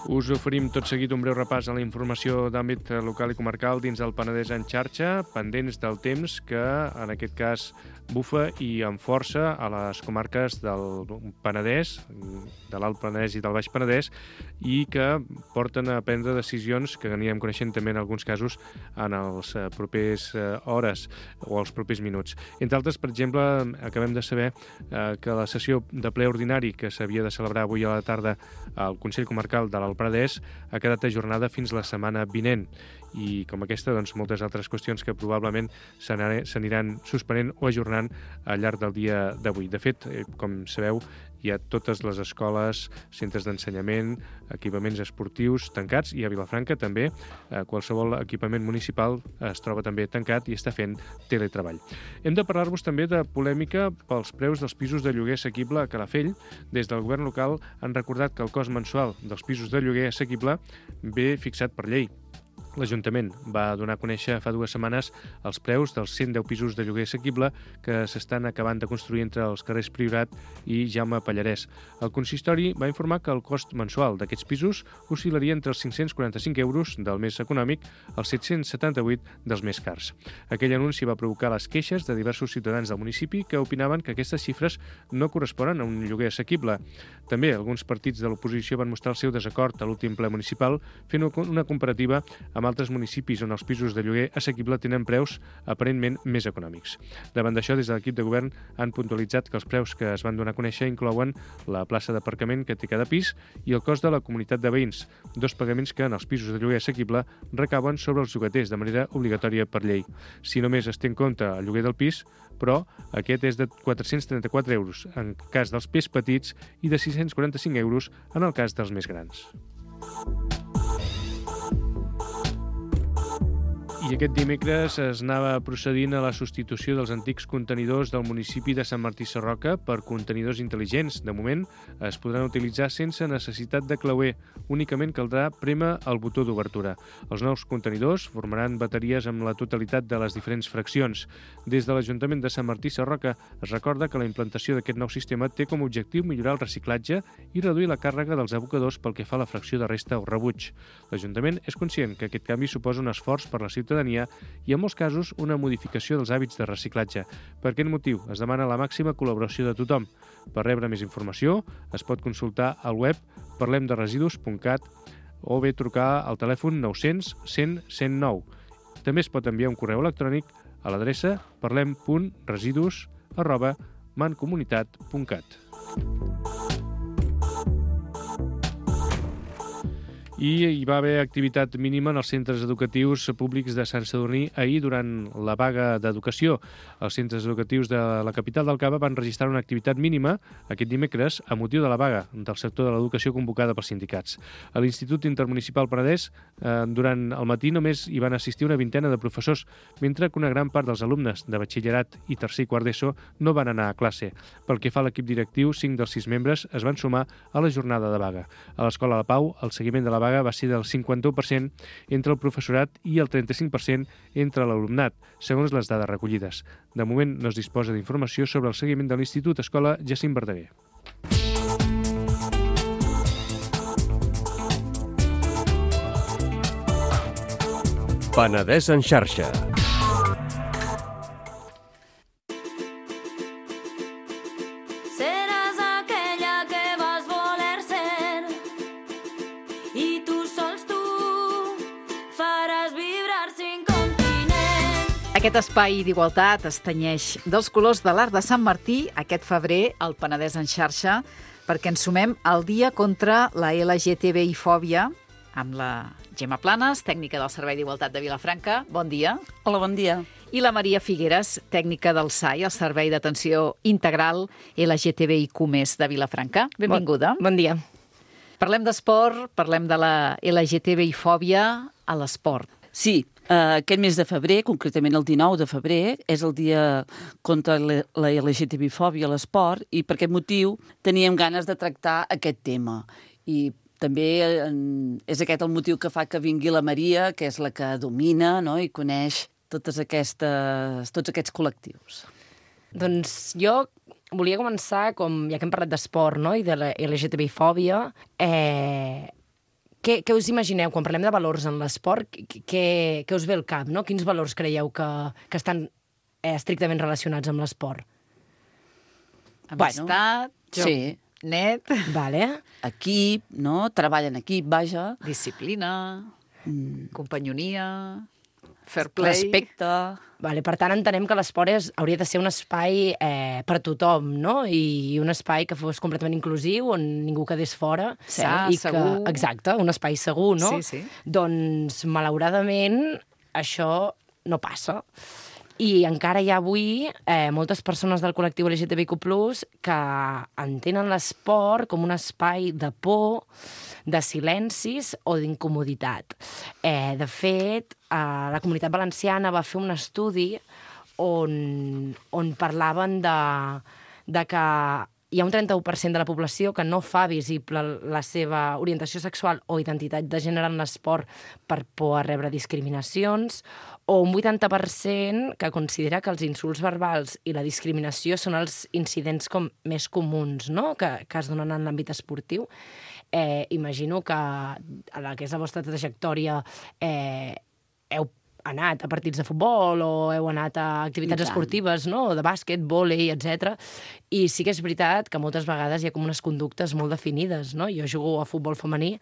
Us oferim tot seguit un breu repàs a la informació d'àmbit local i comarcal dins del Penedès en xarxa, pendents del temps que, en aquest cas, bufa i amb força a les comarques del Penedès, de l'Alt Penedès i del Baix Penedès, i que porten a prendre decisions que anirem coneixent també en alguns casos en els propers hores o els propers minuts. Entre altres, per exemple, acabem de saber que la sessió de ple ordinari que s'havia de celebrar avui a la tarda al Consell Comarcal de l'Alt Penedès ha quedat ajornada fins la setmana vinent. I com aquesta, doncs, moltes altres qüestions que probablement s'aniran suspenent o ajornant al llarg del dia d'avui. De fet, com sabeu, hi ha totes les escoles, centres d'ensenyament, equipaments esportius tancats, i a Vilafranca també qualsevol equipament municipal es troba també tancat i està fent teletreball. Hem de parlar-vos també de polèmica pels preus dels pisos de lloguer assequible a Calafell. Des del govern local han recordat que el cost mensual dels pisos de lloguer assequible ve fixat per llei. L'Ajuntament va donar a conèixer fa dues setmanes els preus dels cent deu pisos de lloguer assequible que s'estan acabant de construir entre els carrers Priorat i Jaume Pallarès. El consistori va informar que el cost mensual d'aquests pisos oscil·laria entre els cinc-cents quaranta-cinc euros del més econòmic als set-cents setanta-vuit dels més cars. Aquell anunci va provocar les queixes de diversos ciutadans del municipi que opinaven que aquestes xifres no corresponen a un lloguer assequible. També alguns partits de l'oposició van mostrar el seu desacord a l'últim ple municipal fent una comparativa amb altres municipis on els pisos de lloguer assequible tenen preus aparentment més econòmics. Davant d'això, des de l'equip de govern han puntualitzat que els preus que es van donar a conèixer inclouen la plaça d'aparcament que té cada pis i el cost de la comunitat de veïns, dos pagaments que en els pisos de lloguer assequible recauen sobre els llogaters de manera obligatòria per llei. Si només es té en compte el lloguer del pis, però aquest és de quatre-cents trenta-quatre euros en cas dels pis petits i de sis-cents quaranta-cinc euros en el cas dels més grans. I aquest dimecres es anava procedint a la substitució dels antics contenidors del municipi de Sant Martí Sarroca per contenidors intel·ligents. De moment es podran utilitzar sense necessitat de clauer. Únicament caldrà prémer el botó d'obertura. Els nous contenidors formaran bateries amb la totalitat de les diferents fraccions. Des de l'Ajuntament de Sant Martí Sarroca es recorda que la implantació d'aquest nou sistema té com a objectiu millorar el reciclatge i reduir la càrrega dels abocadors pel que fa a la fracció de resta o rebuig. L'Ajuntament és conscient que aquest canvi suposa un esforç per la ciutadania i, en molts casos, una modificació dels hàbits de reciclatge. Per aquest motiu, es demana la màxima col·laboració de tothom. Per rebre més informació, es pot consultar al web parlem de residus punt cat o bé trucar al telèfon nou-cents cent cent nou. També es pot enviar un correu electrònic a l'adreça parlem punt residus arroba mancomunitat punt cat. I hi va haver activitat mínima en els centres educatius públics de Sant Sadurní ahir durant la vaga d'educació. Els centres educatius de la capital del Cava van registrar una activitat mínima aquest dimecres a motiu de la vaga del sector de l'educació convocada pels sindicats. A l'Institut Intermunicipal Penedès, eh, durant el matí només hi van assistir una vintena de professors, mentre que una gran part dels alumnes de batxillerat i tercer i quart d'ESO no van anar a classe. Pel que fa a l'equip directiu, cinc dels sis membres es van sumar a la jornada de vaga. A l'Escola La Pau, el seguiment de la vaga va ser del cinquanta-u per cent entre el professorat i el trenta-cinc per cent entre l'alumnat, segons les dades recollides. De moment no es disposa d'informació sobre el seguiment de l'Institut Escola Jacint Verdaguer. Penedès en xarxa. Aquest espai d'igualtat es tenyeix dels colors de l'Arc de Sant Martí aquest febrer al Penedès en xarxa perquè ens sumem al dia contra la L G T B I-fòbia amb la Gemma Planes, tècnica del Servei d'Igualtat de Vilafranca. Bon dia. Hola, bon dia. I la Maria Figueres, tècnica del S A I, el Servei d'Atenció Integral L G T B I Q més de Vilafranca. Benvinguda. Bon, bon dia. Parlem d'esport, parlem de la L G T B I-fòbia a l'esport. Sí, Uh, aquest mes de febrer, concretament el dinou de febrer, és el dia contra la L G T B I-fòbia a l'esport i per aquest motiu teníem ganes de tractar aquest tema. I també és aquest el motiu que fa que vingui la Maria, que és la que domina, no?, i coneix totes aquestes, tots aquests col·lectius. Doncs jo volia començar, com ja que hem parlat d'esport, no?, i de la L G T B-fòbia, eh, què, què us imagineu quan parlem de valors en l'esport? Què, què us ve al cap, no? Quins valors creieu que, que estan eh, estrictament relacionats amb l'esport? Amistat, bueno, sí. net, vale. Equip, no? Treball en equip, vaja. Disciplina, mm. companyonia, fair play. Respecte. Vale, per tant, entenem que l'esport és, hauria de ser un espai eh, per tothom, no? I un espai que fos completament inclusiu, on ningú quedés fora. Sa, i segur. Que, exacte, un espai segur, no? Sí, sí. Doncs, malauradament, això no passa. I encara hi ha avui eh, moltes persones del col·lectiu L G T B Q plus, que entenen l'esport com un espai de por, de silencis o d'incomoditat. Eh, de fet, eh, la Comunitat Valenciana va fer un estudi on, on parlaven de, de que hi ha un trenta-u per cent de la població que no fa visible la seva orientació sexual o identitat de gènere en l'esport per por a rebre discriminacions, o un vuitanta per cent que considera que els insults verbals i la discriminació són els incidents com més comuns, no?, que, que es donen en l'àmbit esportiu. Eh, imagino que a la que és la vostra trajectòria eh, heu anat a partits de futbol o heu anat a activitats esportives, no?, de bàsquet, vòlei, etcètera. I sí que és veritat que moltes vegades hi ha com unes conductes molt definides, no? Jo jugo a futbol femení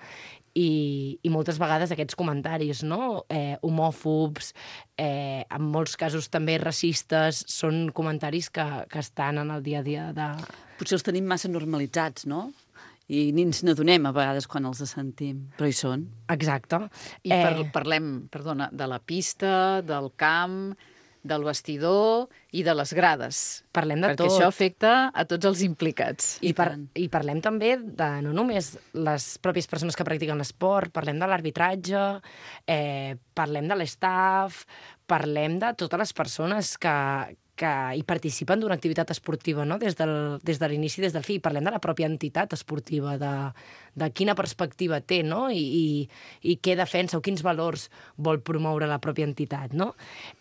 i, i moltes vegades aquests comentaris, no?, eh, homòfobs, eh, en molts casos també racistes, són comentaris que, que estan en el dia a dia de... Potser els tenim massa normalitzats, no?, i ni ens n'adonem a vegades quan els sentim, però hi són. Exacte. I eh... par parlem, perdona, de la pista, del camp, del vestidor i de les grades. Parlem de perquè tot. Perquè això afecta a tots els implicats. I, par I parlem també de no només les pròpies persones que practiquen l'esport, parlem de l'arbitratge, eh, parlem de l'estaff, parlem de totes les persones que, que hi participen d'una activitat esportiva, no?, des, del, des de l'inici, des del fi. Parlem de la pròpia entitat esportiva, de, de quina perspectiva té, no?, I, i, i què defensa o quins valors vol promoure la pròpia entitat, no?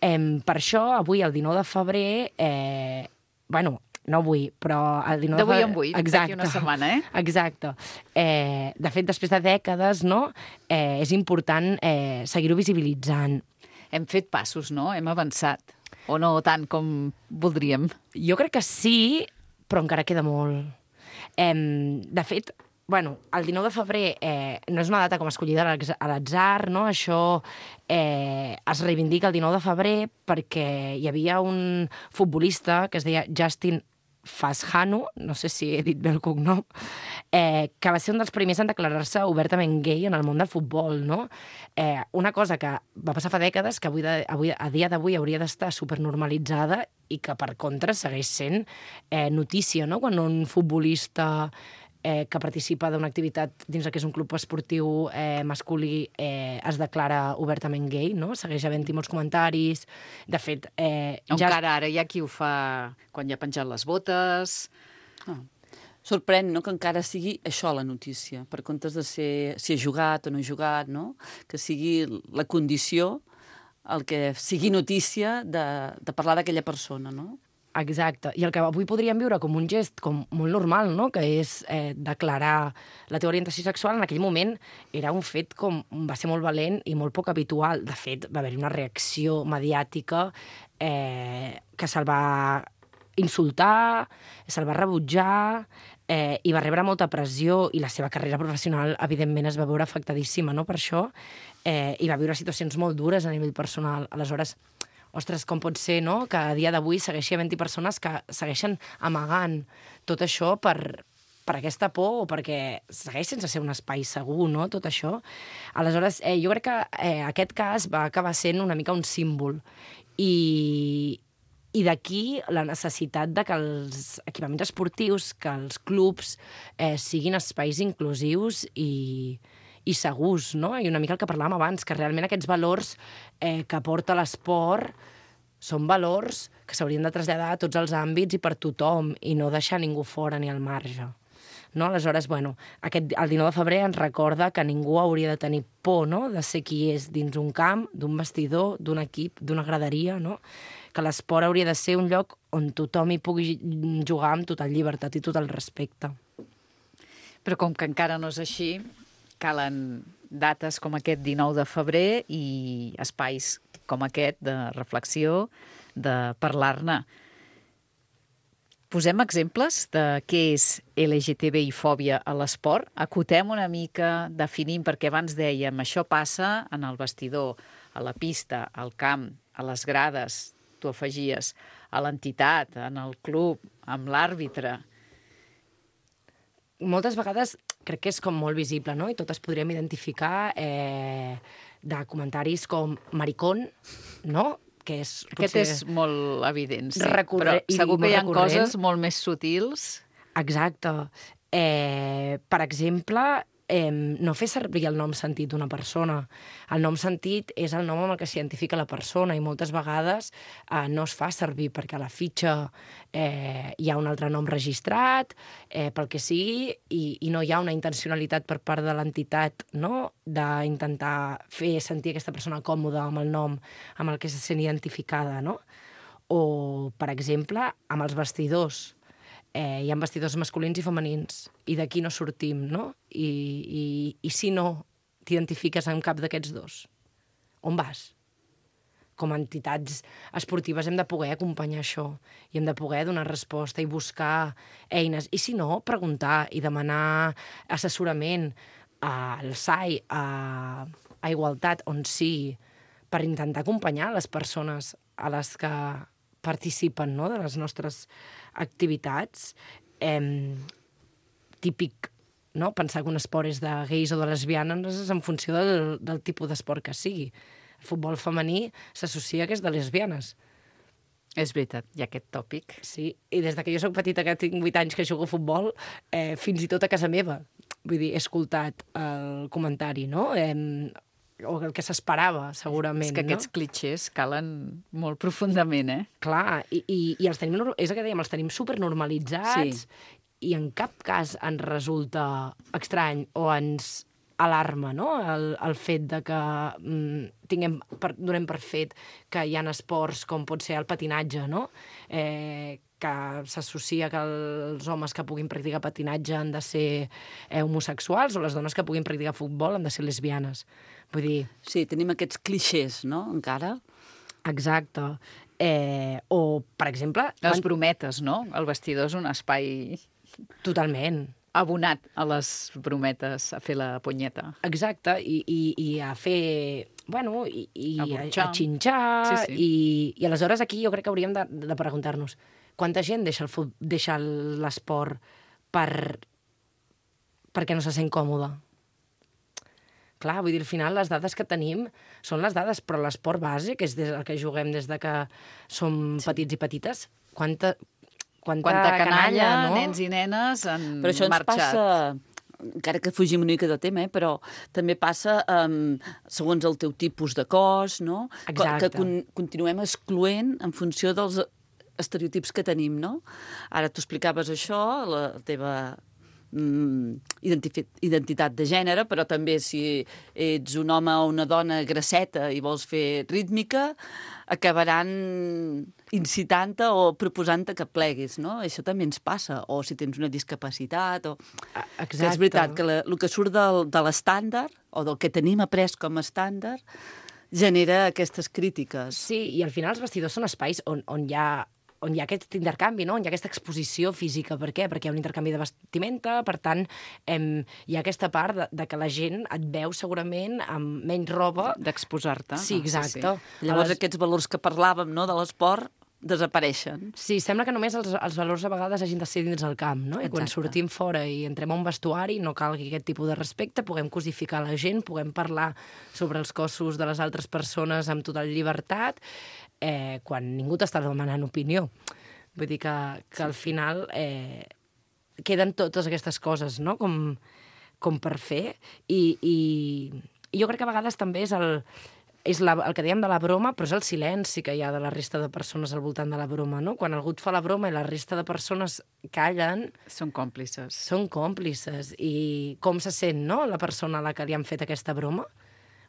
Eh, per això, avui, el dinou de febrer, eh, bueno, no avui, però el dinou de febrer... D'avui en vuit, d'aquí una setmana, eh? Exacte. Eh, de fet, després de dècades, no?, eh, és important eh, seguir-ho visibilitzant. Hem fet passos, no? Hem avançat. O no tant com voldríem? Jo crec que sí, però encara queda molt. Eh, de fet, bueno, el dinou de febrer eh, no és una data com escollida a l'atzar, no? Això eh, es reivindica el dinou de febrer perquè hi havia un futbolista que es deia Justin Fashanu, no sé si he dit bé el cognom, eh, que va ser un dels primers en declarar-se obertament gay en el món del futbol, no? Eh, una cosa que va passar fa dècades, que avui, de, avui a dia d'avui hauria d'estar supernormalitzada i que, per contra, segueix sent eh, notícia, no?, quan un futbolista eh, que participa d'una activitat dins el que és un club esportiu eh, masculí eh, es declara obertament gay, no? Segueix havent-hi molts comentaris. De fet... Eh, Encara ja... ara hi ha qui ho fa quan ja ha penjat les botes... Ah. Sorprèn, no?, que encara sigui això la notícia, per comptes de ser si ha jugat o no ha jugat, no?, que sigui la condició el que sigui notícia de, de parlar d'aquella persona, no? Exacte. I el que avui podríem viure com un gest com molt normal, no?, que és eh, declarar la teva orientació sexual, en aquell moment era un fet com... va ser molt valent i molt poc habitual. De fet, va haver-hi una reacció mediàtica eh, que se'l va insultar, se'l va rebutjar, eh, i va rebre molta pressió, i la seva carrera professional, evidentment, es va veure afectadíssima, no?, per això, eh, i va viure situacions molt dures a nivell personal. Aleshores, ostres, com pot ser, no?, que a dia d'avui segueixi havent-hi persones que segueixen amagant tot això per, per aquesta por o perquè segueix sense ser un espai segur, no?, tot això. Aleshores, eh, jo crec que eh, aquest cas va acabar sent una mica un símbol. I, i d'aquí la necessitat de que els equipaments esportius, que els clubs eh, siguin espais inclusius i... i segurs, no? I una mica el que parlàvem abans, que realment aquests valors eh, que aporta l'esport són valors que s'haurien de traslladar a tots els àmbits i per tothom, i no deixar ningú fora ni al marge. no? Aleshores, bueno, aquest, el dinou de febrer ens recorda que ningú hauria de tenir por, no?, de ser qui és dins un camp, d'un vestidor, d'un equip, d'una graderia, no?, que l'esport hauria de ser un lloc on tothom hi pugui jugar amb total llibertat i total respecte. Però com que encara no és així, calen dates com aquest dinou de febrer i espais com aquest de reflexió, de parlar-ne. Posem exemples de què és L G T B I-fòbia a l'esport? Acotem una mica, definim, perquè abans dèiem, això passa en el vestidor, a la pista, al camp, a les grades, tu afegies, a l'entitat, en el club, amb l'àrbitre. Moltes vegades crec que és com molt visible, no? I totes podríem identificar eh, de comentaris com maricón, no?, que és... Aquest és molt evident, sí. Recorre... Però segur que hi ha recurrent. coses molt més sutils. Exacte. Eh, per exemple, eh, no fer servir el nom sentit d'una persona. El nom sentit és el nom amb el que s'identifica la persona i moltes vegades eh, no es fa servir perquè a la fitxa eh, hi ha un altre nom registrat, eh, pel que sigui, i, i no hi ha una intencionalitat per part de l'entitat, no?, d'intentar fer sentir aquesta persona còmoda amb el nom amb el que se sent identificada, no? O, per exemple, amb els vestidors. Eh, hi ha vestidors masculins i femenins, i d'aquí no sortim, no? I, i, i si no t'identifiques amb cap d'aquests dos, on vas? Com a entitats esportives hem de poder acompanyar això, i hem de poder donar resposta i buscar eines. I si no, preguntar i demanar assessorament al S A I, a, a Igualtat, on sigui, per intentar acompanyar les persones a les que participen, no?, de les nostres activitats. Eh, típic, no?, pensar que un esport és de gais o de lesbianes és en funció del, del tipus d'esport que sigui. El futbol femení s'associa que és de lesbianes. És veritat, hi ha aquest tòpic. Sí, i des de que jo soc petita, que tinc vuit anys que jugo a futbol, eh, fins i tot a casa meva, vull dir, he escoltat el comentari, no?, eh, o el que s'esperava, segurament. És que aquests no? clitxers calen molt profundament, eh? Clar, i, i, i els tenim, és el que dèiem, els tenim supernormalitzats, sí. I en cap cas ens resulta estrany o ens alarma, no?, el, el fet de que mm, tinguem per, donem per fet que hi ha esports com pot ser el patinatge, no?, eh, que s'associa que els homes que puguin practicar patinatge han de ser eh, homosexuals o les dones que puguin practicar futbol han de ser lesbianes. Vull dir... Sí, tenim aquests clixés, no?, encara. Exacte. Eh, o, per exemple... Les quan... brometes, no? El vestidor és un espai... Totalment. Abonat a les brometes, a fer la punyeta. Exacte, i, i, i a fer... Bueno, i, i a, a, a xinxar, sí, sí. I, i aleshores aquí jo crec que hauríem de, de preguntar-nos quanta gent deixa el fut, deixa l'esport per, perquè no se sent còmode. Clar, vull dir, al final les dades que tenim són les dades, però l'esport base, que és el que juguem des de que som sí. petits i petites, quanta, quanta, quanta canalla, canalla, no? Nens i nenes han Però això ens marxat. passa, encara que fugim una mica del tema, eh, però també passa um, segons el teu tipus de cos, no? Exacte. Que con continuem excloent en funció dels estereotips que tenim, no? Ara tu explicaves això, la teva mm, identitat de gènere, però també si ets un home o una dona grasseta i vols fer rítmica, acabaran incitant-te o proposant-te que pleguis, no? Això també ens passa. O si tens una discapacitat, o... Exacte. Que és veritat que la, el que surt del, de l'estàndard, o del que tenim après com a estàndard, genera aquestes crítiques. Sí, i al final els vestidors són espais on, on hi ha on hi ha aquest intercanvi, no? On hi ha aquesta exposició física. Per què? Perquè hi ha un intercanvi de vestimenta, per tant, em, hi ha aquesta part de, de que la gent et veu segurament amb menys roba. D'exposar-te. Sí, exacte. Ah, sí, sí. Llavors les... aquests valors que parlàvem, no?, de l'esport, desapareixen. Sí, sembla que només els, els valors a vegades hagin de ser dins el camp, no? I Exacte. quan sortim fora i entrem a un vestuari no calgui aquest tipus de respecte, puguem cosificar la gent, puguem parlar sobre els cossos de les altres persones amb total llibertat, eh, quan ningú t'està demanant opinió. Vull dir que, que al final eh, queden totes aquestes coses, no?, com, com per fer, i, i, i jo crec que a vegades també és el... és la, el que dèiem de la broma, però és el silenci que hi ha de la resta de persones al voltant de la broma, no? Quan algú et fa la broma i la resta de persones callen... Són còmplices. Són còmplices. I com se sent, no?, la persona a la que li han fet aquesta broma?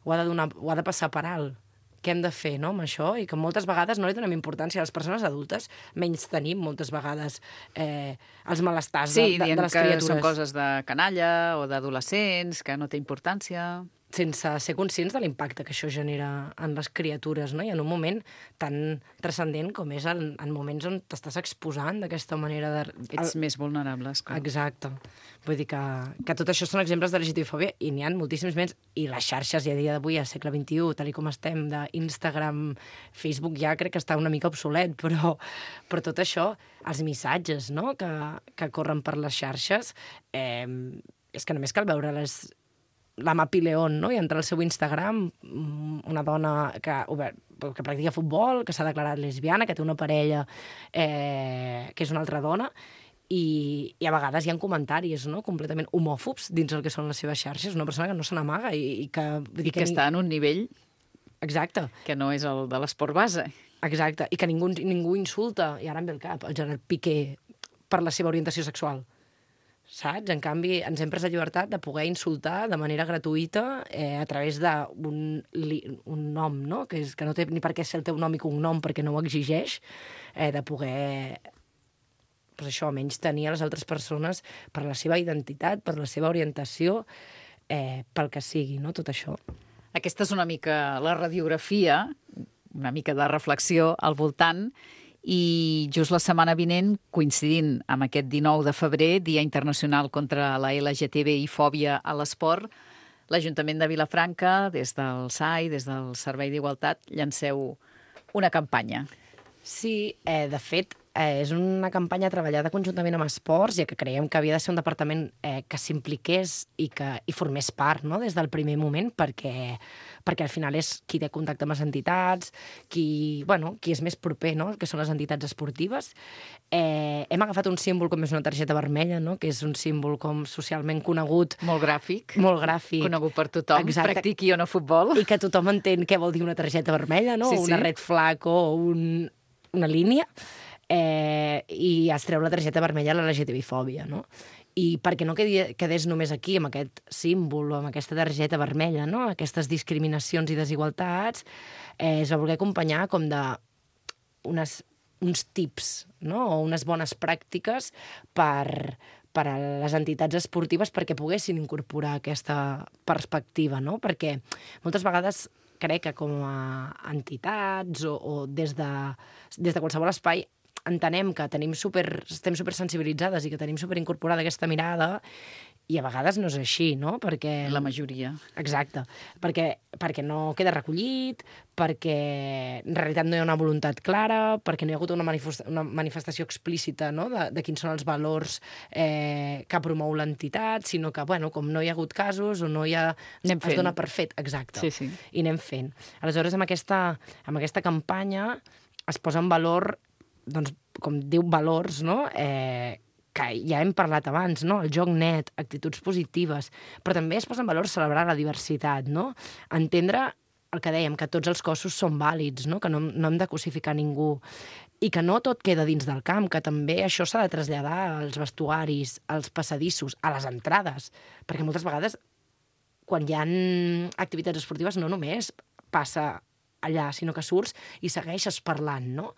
Ho ha de, donar, ho ha de passar per alt. Què hem de fer, no?, amb això? I que moltes vegades no li donem importància a les persones adultes, menys tenim moltes vegades eh, els malestars sí, de, de, de les criatures. Sí, dient que són coses de canalla o d'adolescents, que no té importància... Sense ser conscients de l'impacte que això genera en les criatures, no? I en un moment tan transcendent com és en, en moments on t'estàs exposant d'aquesta manera de... Ets el... més vulnerables. Clar. Exacte. Vull dir que, que tot això són exemples de L G T B fòbia i n'hi ha moltíssims més. I les xarxes, i a dia d'avui, al segle vint-i-u, tal com estem, d'Instagram, Facebook, ja crec que està una mica obsolet, però, però tot això, els missatges, no?, que, que corren per les xarxes, eh, és que només cal veure les... la Mapi León, no?, i entrar al seu Instagram, una dona que, que practica futbol, que s'ha declarat lesbiana, que té una parella eh, que és una altra dona, i, i a vegades hi ha comentaris, no?, completament homòfobs dins el que són les seves xarxes, una persona que no se n'amaga i, i que... I que, que està en un nivell... Exacte. Que no és el de l'esport base. Exacte, i que ningú, ningú insulta, i ara em ve el cap, el Gerard Piqué, per la seva orientació sexual. Saps? En canvi, ens hem pres la llibertat de poder insultar de manera gratuïta eh, a través d'un un nom, no?, que, és, que no té ni per què ser el teu nom i cognom perquè no ho exigeix, eh, de poder, pues això, menys tenir a les altres persones per la seva identitat, per la seva orientació, eh, pel que sigui, no?, tot això. Aquesta és una mica la radiografia, una mica de reflexió al voltant. I just la setmana vinent, coincidint amb aquest dinou de febrer, Dia Internacional contra la L G T B i fòbia a l'esport, l'Ajuntament de Vilafranca, des del S A I, des del Servei d'Igualtat, llanceu una campanya. Sí, eh, de fet, eh, és una campanya treballada conjuntament amb esports, ja que creiem que havia de ser un departament eh, que s'impliqués i que hi formés part, no?, des del primer moment, perquè, perquè al final és qui té contacte amb les entitats, qui, bueno, qui és més proper, no?, que són les entitats esportives. Eh, hem agafat un símbol com és una targeta vermella, no?, que és un símbol com socialment conegut. Molt gràfic. Molt gràfic. Conegut per tothom, exacte. Practiqui o no futbol. I que tothom entén què vol dir una targeta vermella, no?, sí, una sí. red flag o un, una línia. Eh, i es treu la targeta vermella a la L G T B fòbia, no? I perquè no quedi, quedés només aquí, amb aquest símbol o amb aquesta targeta vermella, no?, aquestes discriminacions i desigualtats, eh, es va voler acompanyar com de unes, uns tips, no?, o unes bones pràctiques per, per a les entitats esportives perquè poguessin incorporar aquesta perspectiva, no?, perquè moltes vegades crec que com a entitats o, o des de, des de qualsevol espai entenem que tenim super, estem supersensibilitzades i que tenim superincorporada aquesta mirada i a vegades no és així, no? Perquè... La majoria. Exacte. Perquè, perquè no queda recollit, perquè en realitat no hi ha una voluntat clara, perquè no hi ha hagut una, manifesta una manifestació explícita, no?, de, de quins són els valors eh, que promou l'entitat, sinó que, bueno, com no hi ha hagut casos o no hi ha... Anem es fent. dona per fet, exacte. Sí, sí. I anem fent. Aleshores, amb aquesta, amb aquesta campanya es posa en valor, doncs, com diu valors, no?, eh, que ja hem parlat abans, no?, el joc net, actituds positives, però també es posa en valor celebrar la diversitat, no?, entendre el que dèiem, que tots els cossos són vàlids, no?, que no, no hem de cosificar ningú, i que no tot queda dins del camp, que també això s'ha de traslladar als vestuaris, als passadissos, a les entrades, perquè moltes vegades, quan hi ha activitats esportives, no només passa allà, sinó que surts i segueixes parlant, no?,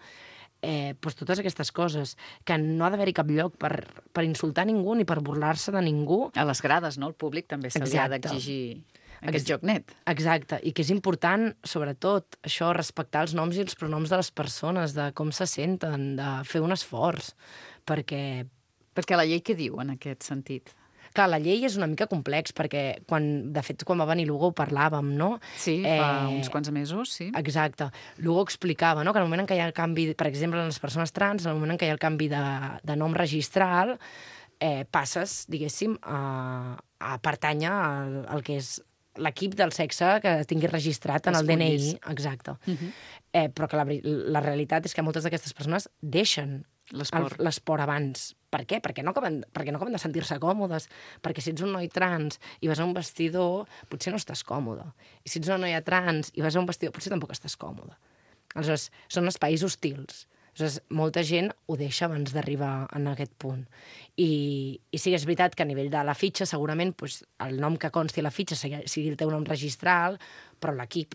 Eh, doncs totes aquestes coses, que no ha d'haver-hi cap lloc per, per insultar ningú ni per burlar-se de ningú. A les grades, no?, el públic també se li ha d'exigir aquest Ex joc net. Exacte, i que és important, sobretot, això, respectar els noms i els pronoms de les persones, de com se senten, de fer un esforç, perquè... Perquè la llei què diu en aquest sentit? Clar, la llei és una mica complex, perquè, quan, de fet, quan va venir Lugo ho parlàvem, no? Sí, fa eh, uns quants mesos, sí. Exacte. Lugo explicava, no?, que en el moment en què hi ha el canvi, per exemple, en les persones trans, en el moment en què hi ha el canvi de, de nom registral, eh, passes, diguéssim, a, a pertànyer al, al que és l'equip del sexe que tingui registrat en el D N I. Exacte. Uh -huh. eh, però que la, la realitat és que moltes d'aquestes persones deixen l'esport abans, Per què? Perquè no acaben, perquè no acaben de sentir-se còmodes. Perquè si ets un noi trans i vas a un vestidor, potser no estàs còmode. I si ets una noia trans i vas a un vestidor, potser tampoc estàs còmode. Aleshores, són espais hostils. Aleshores, molta gent ho deixa abans d'arribar en aquest punt. I, i sí que és veritat que a nivell de la fitxa, segurament pues, el nom que consti a la fitxa sigui, sigui el teu nom registral, però l'equip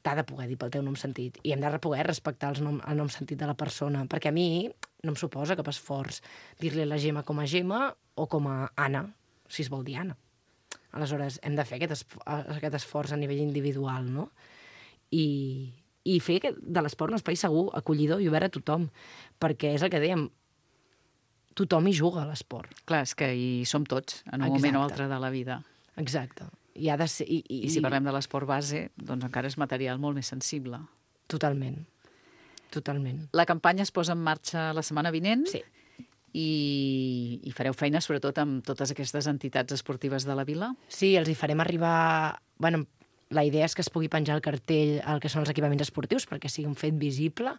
t'ha de poder dir pel teu nom sentit. I hem de poder respectar el nom, el nom sentit de la persona. Perquè a mi no em suposa cap esforç dir-li a la Gemma com a Gemma o com a Anna, si es vol dir Anna. Aleshores, hem de fer aquest, esf aquest esforç a nivell individual, no? I, i fer de l'esport un espai segur, acollidor i obert a tothom. Perquè és el que dèiem, tothom hi juga a l'esport. Clar, és que hi som tots, en un Exacte. moment o altre de la vida. Exacte. I, ha de ser, i, i, I si parlem de l'esport base, doncs encara és material molt més sensible. Totalment. Totalment. La campanya es posa en marxa la setmana vinent. Sí. I, i fareu feina sobretot amb totes aquestes entitats esportives de la vila? Sí, els hi farem arribar... Bueno, la idea és que es pugui penjar el cartell al que són els equipaments esportius perquè sigui un fet visible,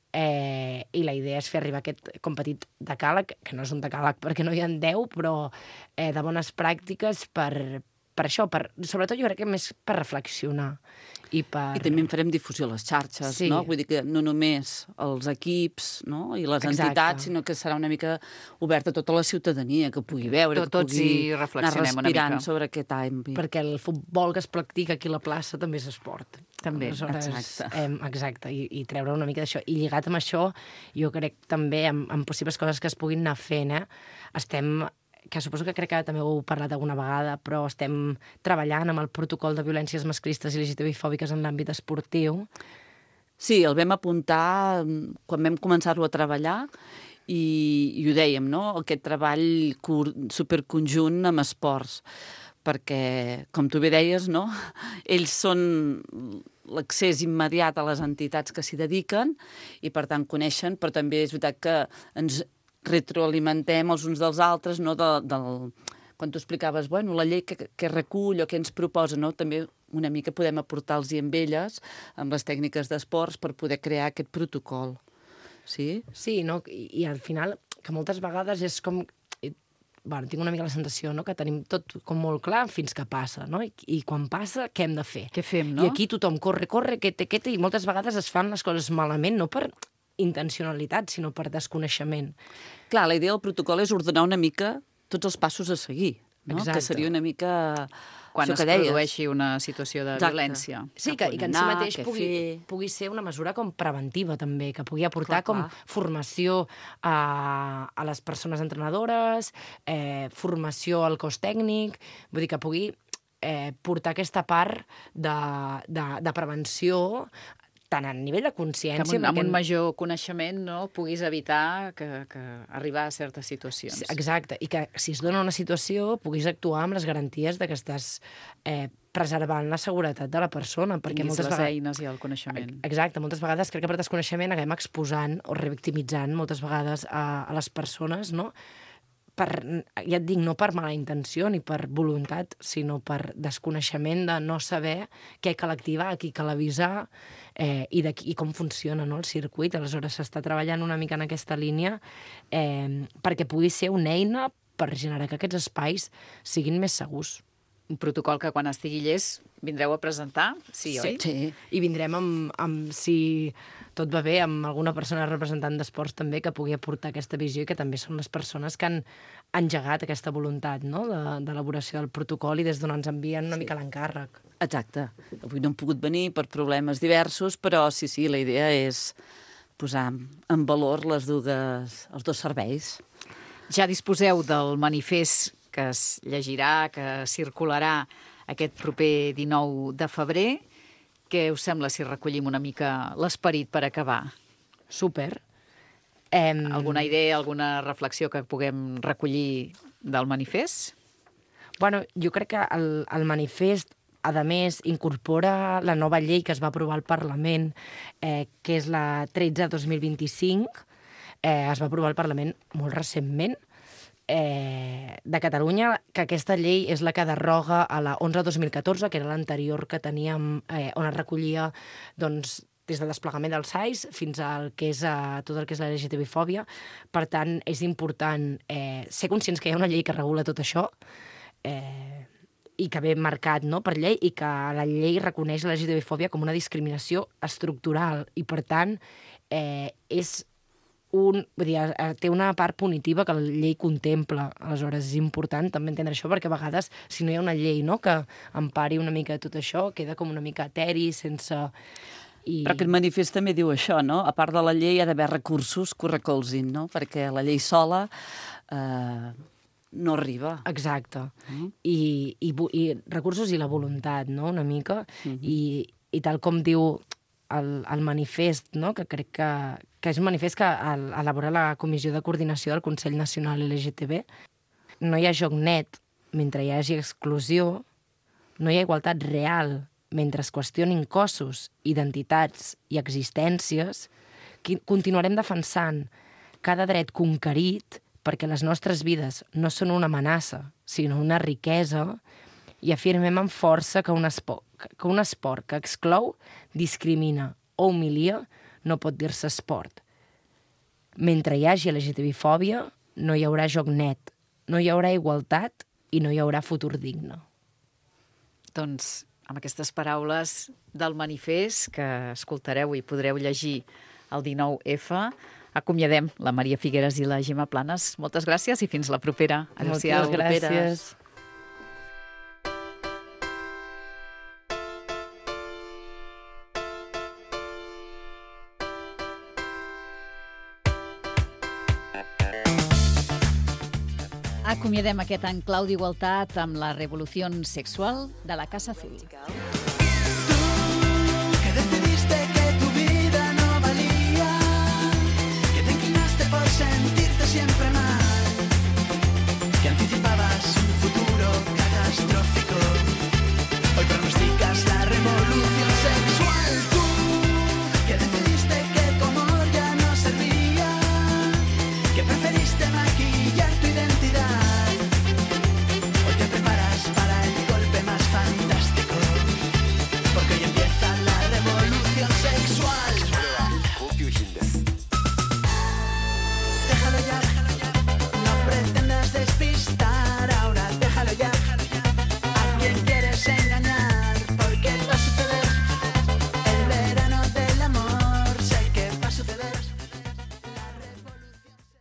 eh, i la idea és fer arribar aquest com petit decàleg, que no és un decàleg perquè no hi ha deu, però eh, de bones pràctiques per, per això, per, sobretot jo crec que més per reflexionar. I, per... I també en farem difusió a les xarxes, Sí. no? Vull dir que no només els equips, no? I les Exacte. entitats, sinó que serà una mica oberta a tota la ciutadania, que pugui veure, Tot- que tots pugui hi anar reflexionem una respirant mica. sobre aquest àmbit. Perquè el futbol que es practica aquí a la plaça també és esport. També, Aleshores, exacte. Eh, exacte, i, i treure una mica d'això. I lligat amb això, jo crec també amb, amb possibles coses que es puguin anar fent, eh? Estem, que suposo que crec que també ho heu parlat alguna vegada, però estem treballant amb el protocol de violències masclistes i L G T B I fòbiques en l'àmbit esportiu. Sí, el vam apuntar mm, quan vam començar-lo a treballar i, i ho dèiem, no? Aquest treball cur, superconjunt amb esports, perquè, com tu bé deies, no? Ells són l'accés immediat a les entitats que s'hi dediquen i, per tant, coneixen, però també és veritat que ens retroalimentem els uns dels altres, no? De, del, quan tu explicaves, bueno, la llei que, que recull o que ens proposa, no? També una mica podem aportar-los amb elles, amb les tècniques d'esports, per poder crear aquest protocol. Sí? Sí, no? I, i al final, que moltes vegades és com... i, bueno, tinc una mica la sensació, no?, que tenim tot com molt clar fins que passa, no? I, i quan passa, què hem de fer? Què fem, no? I aquí tothom corre, corre, quete, quete, i moltes vegades es fan les coses malament, no per intencionalitat, sinó per desconeixement. Clar, la idea del protocol és ordenar una mica tots els passos a seguir, no? Exacte. Que seria una mica... Quan això es que deies. produeixi una situació de Exacte. violència. Sí, que, i que en si anar, mateix què pugui, fer. pugui ser una mesura com preventiva, també, que pugui aportar Clar, com clar. formació a, a les persones entrenadores, eh, formació al cos tècnic, vull dir que pugui eh, portar aquesta part de, de, de prevenció tant a nivell de Que consciència... amb un, amb perquè- un major coneixement, no?, puguis evitar que, que arribar a certes situacions. Exacte, i que si es dona una situació puguis actuar amb les garanties de que estàs eh, preservant la seguretat de la persona. Perquè Tinguis moltes les vegades... eines i el coneixement. Exacte, moltes vegades crec que per desconeixement acabem exposant o revictimitzant moltes vegades a, a les persones, no? Per, ja et dic, no per mala intenció ni per voluntat, sinó per desconeixement de no saber què cal activar, qui cal avisar eh, i, de, i com funciona, no?, el circuit. Aleshores s'està treballant una mica en aquesta línia eh, perquè pugui ser una eina per generar que aquests espais siguin més segurs. Un protocol que quan estigui llest vindreu a presentar, sí, oi? Sí. I vindrem amb, amb, si tot va bé, amb alguna persona representant d'esports també que pugui aportar aquesta visió i que també són les persones que han engegat aquesta voluntat, no?, de- d'elaboració del protocol i des d'on ens envien una Sí. mica l'encàrrec. Exacte. Avui no han pogut venir per problemes diversos, però sí, sí, la idea és posar en valor les dues, els dos serveis. Ja disposeu del manifest que es llegirà, que circularà aquest proper dinou de febrer. Què us sembla si recollim una mica l'esperit per acabar? Súper. Em... Alguna idea, alguna reflexió que puguem recollir del manifest? Bueno, jo crec que el, el manifest, a més, incorpora la nova llei que es va aprovar al Parlament, eh, que és la tretze dos mil vint-i-cinc. Eh, es va aprovar al Parlament molt recentment, eh, de Catalunya, que aquesta llei és la que derroga a la onze dos mil catorze, que era l'anterior que teníem, eh, on es recollia doncs, des del desplegament dels S A I S fins al que és uh, tot el que és la L G T B-fòbia. Per tant, és important eh, ser conscients que hi ha una llei que regula tot això, eh, i que ve marcat, no?, per llei, i que la llei reconeix la L G T B-fòbia com una discriminació estructural, i per tant eh, és un, vull dir, té una part punitiva que la llei contempla. Aleshores, és important també entendre això, perquè a vegades, si no hi ha una llei, no?, que empari una mica tot això, queda com una mica eteri, sense... I... Però aquest manifest també diu això, no? A part de la llei hi ha d'haver recursos que ho recolzin, no? Perquè la llei sola eh, no arriba. Exacte. Mm. I, i, I recursos i la voluntat, no?, una mica. Mm-hmm. I, I tal com diu el, el manifest, no?, que crec que, que és un manifest que elabora la Comissió de Coordinació del Consell Nacional L G T B, no hi ha joc net mentre hi hagi exclusió, no hi ha igualtat real mentre es qüestionin cossos, identitats i existències, continuarem defensant cada dret conquerit perquè les nostres vides no són una amenaça, sinó una riquesa, i afirmem amb força que un esport que, un esport que exclou, discrimina o humilia no pot dir-se esport. Mentre hi hagi L G T B-fòbia, no hi haurà joc net, no hi haurà igualtat i no hi haurà futur digne. Doncs amb aquestes paraules del manifest que escoltareu i podreu llegir el dinou efe, acomiadem la Maria Figueras i la Gemma Planes. Moltes gràcies i fins la propera. Adéu-siau. Moltes gràcies. Acomiadem aquest enclau d'igualtat amb la revolució sexual de la Casa Azul.